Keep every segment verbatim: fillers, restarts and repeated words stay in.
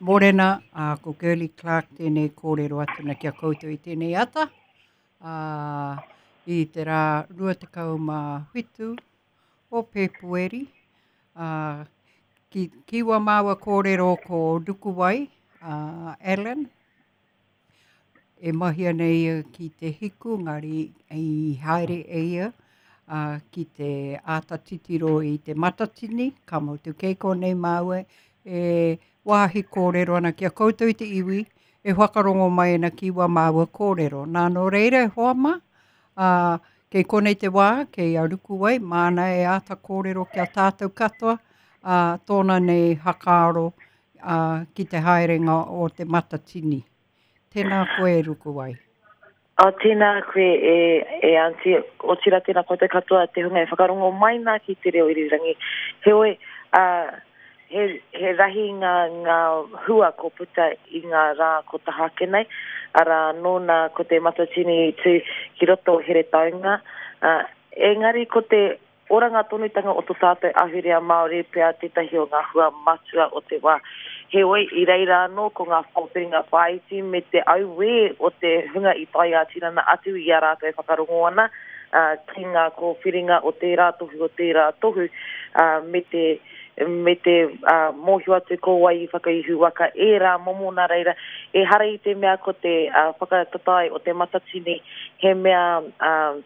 Morena, ā, ko Girlie Clark tēnei kōrero atu na ki a koutou i tēnei ata. Ā, i te rā rua tekau mā whitu o Pēpueri, ā, ki, ki wā māua kōrero ko Rukuwai, ā, Allen, e mahi ana ia ki te hiku, ngari i haere e ia ā, ki te āta titiro i te matatini, ka motu kei konei māua e wāhi kōrero ana ki a koutou i te iwi, e whakarongo mai ana ki wā māua kōrero. Nā, nō reira e hoa mā, ā, kei konei te wā, kei a Rukuwai, māna e āta kōrero ki a tātou katoa, ā, tōna nei hakaaro ā, ki te haerenga o te matatini. Tēnā koe, Rukuwai. Oh, tēnā koe e, e Aunty, otirā tēnā koutou katoa te hunga e whakarongo mai nā ki te reo irirangi. Heoi, uh, he, he rahi ngā, ngā hua ko puta i ngā rā ko taha ake nei, arā nōna ko te Matatini i tū ki roto o Heretaunga, uh, engari ko te oranga tonutanga o to tātou ahurea Māori pea tētahi o ngā hua matua o te wā. Heoi, i reira anō ko ngā whakawhiringa whāiti me te auē o te hunga i tae ā-tinana atu i a rātou e whakarongo ana uh, ki ngā kōwhiringa o tērā tohu o tērā tohu uh, me te me te uh, mōhio atu ko wai i whakaihu waka ērā momo nā reira ehara i te mea ko te uh, whakatatae o te matatini he mea uh,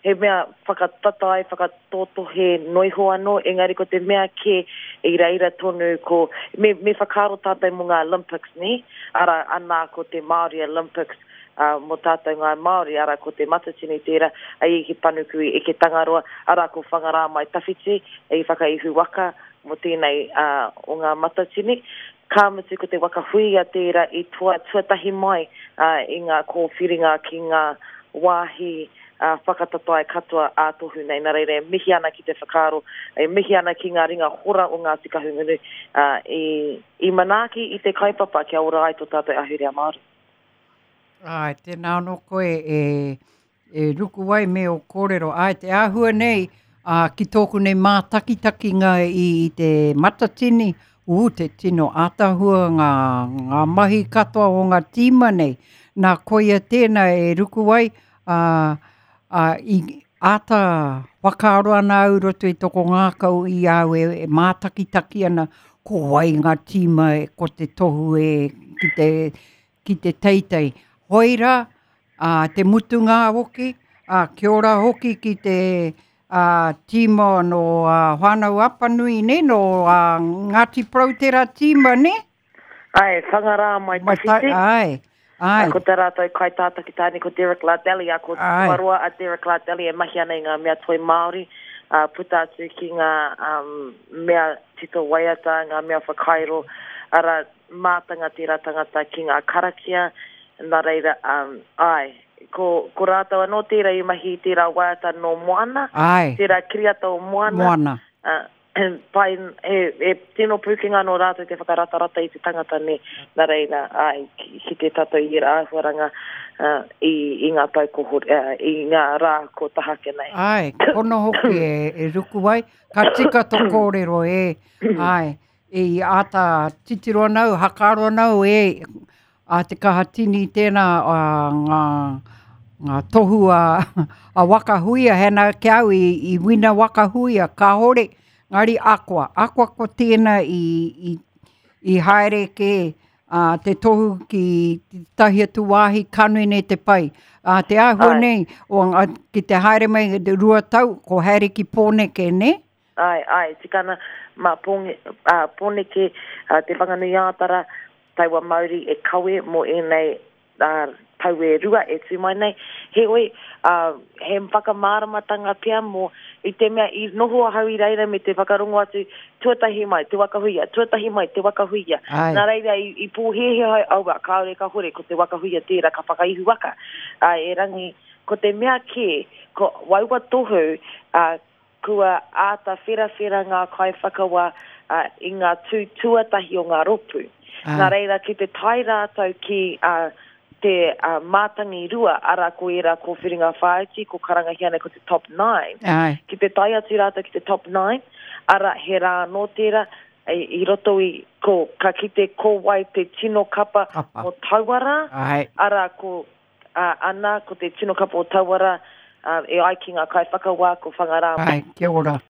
he mea whakatatae, whakatōtohe noiho anō, engari ko te mea kē i reira tonu ko, me, me whakaaro tātou mō ngā Olympics, nē? Arā, anā ko te Māori Olympics uh, mō tātou ngāi Māori, arā ko te Matatini tērā, a Eke Panuku i Eke Tangaroa, arā ko Whangarā Mai Tawhiti i Whakaihu Waka mō tēnei uh, o ngā Matatini. Ka mutu ko te waka huia tērā i toa tuatahi mai uh, i ngā kōwhiringa ki ngā wāhi uh, whakatatae katoa ā-tohu nei. Nā reira, e mihi ana ki te whakaaro, e mihi ana ki ngā ringa hora o Ngāti Kahungunu uh, i, i manaaki i te kaupapa kia ora ai tō tātou ahurea Māori. Āe, tēnā anō koe e, e Rukuwai me o kōrero. Āe, te āhua nei, ā, ki tōku nei mātakitakinga i, i te Matatini, ū, te tino ātaahua ngā, ngā mahi katoa o ngā tīma nei. Nā, koia tēnā e Rukuwai, ā, ā, i āta whakaaro ana au roto i toko ngākau i au e, e mātakitaki ana, ko wai ngā tīma e, ko te tohu e ki te, ki te teitei. Hoi rā, ā, te mutunga hoki, ā, kia ora hoki ki te ā, tīma nō ā, Whānau Apanui, ne, nō ā, Ngāti Porou tērā tīma, ne? Ai, Whangarā Mai Tawhiti. Ai, ai. Ko tā rātou kaitātaki tāne ko Derek Lardelli, a ko Ai. Tuaroa a Derek Lardelli e mahi ana i ngā mea toi Māori, uh, puta atu ki ngā um, mea tito waiata, ngā mea whakairo, ara mātanga tērā tangata ki ngā karakia, nā reira, um, ai, ko, ko rātou anō tērā i mahi i tērā waiata nō Moana, Ai. tērā kiriata o Moana. Moana. Uh, pai, he, he tino pūkenga nō rātou te whakaratarata i te tangata nei, nā reira, ai, ki, ki te tātou i era āhuaranga uh, i, i ngā tau ko, uh, i ngā rā ko taha ake nei. Ai, pono hoki e, e Rukuwai, ka tika tō kōrero e, ai, i āta titiro ana au, hakaaro ana au e, a te kaha tini tēnā a, ngā, ngā tohu a, a waka huia, hena ki au i, i wina waka huia, kāore, ngari akoa, akoa ko tēnā i, i, i haere ke a, te tohu ki tahi atu wāhi kanui nei te pai. A, te āhua Ai. nei, o, a, ki te haere mai te rua tau, ko haere ki Pōneke, ne? Ai, ai, tikana, mā Pōnge, uh, Pōneke, uh, Te Whanganui-ā-Tara, taua mauri e kawe mō ēnei uh, tau e rua e tū mai nei. Heoi, uh, he whakamāramatanga pea mō i te mea i noho ahau i reira me te whakarongo atu tuatahi mai, te waka huia, tuatahi mai, te waka huia. Ai. Nā reira, i, i pōhēhē ai, aua, kāore ka hore, ko te waka huia tērā ka whakaihu waka. Uh, e rangi, ko te mea kē, ko waua tohu, uh, kua āta wherawhera ngā kaiwhakawa uh, i ngā tū tuatahi o ngā ropu. Ai. Nā reira, ki te tae rātou ki uh, te uh, mātangi rua, ara ko ērā kōwhiringa whāiti, ko karangahia nei ko te top nine. Ai. Ki te tae atu rātou ki te top nine, ara he rā anō tērā, i, i roto i, ko, ka kite ko wai te tino kapa, Kapa. o taua rā, Ai. arā ko, uh, ana, ko te tino kapa o taua rā, uh, e ai ki ngā kaiwhakawā, ko Whangarā. Ai, kia ora.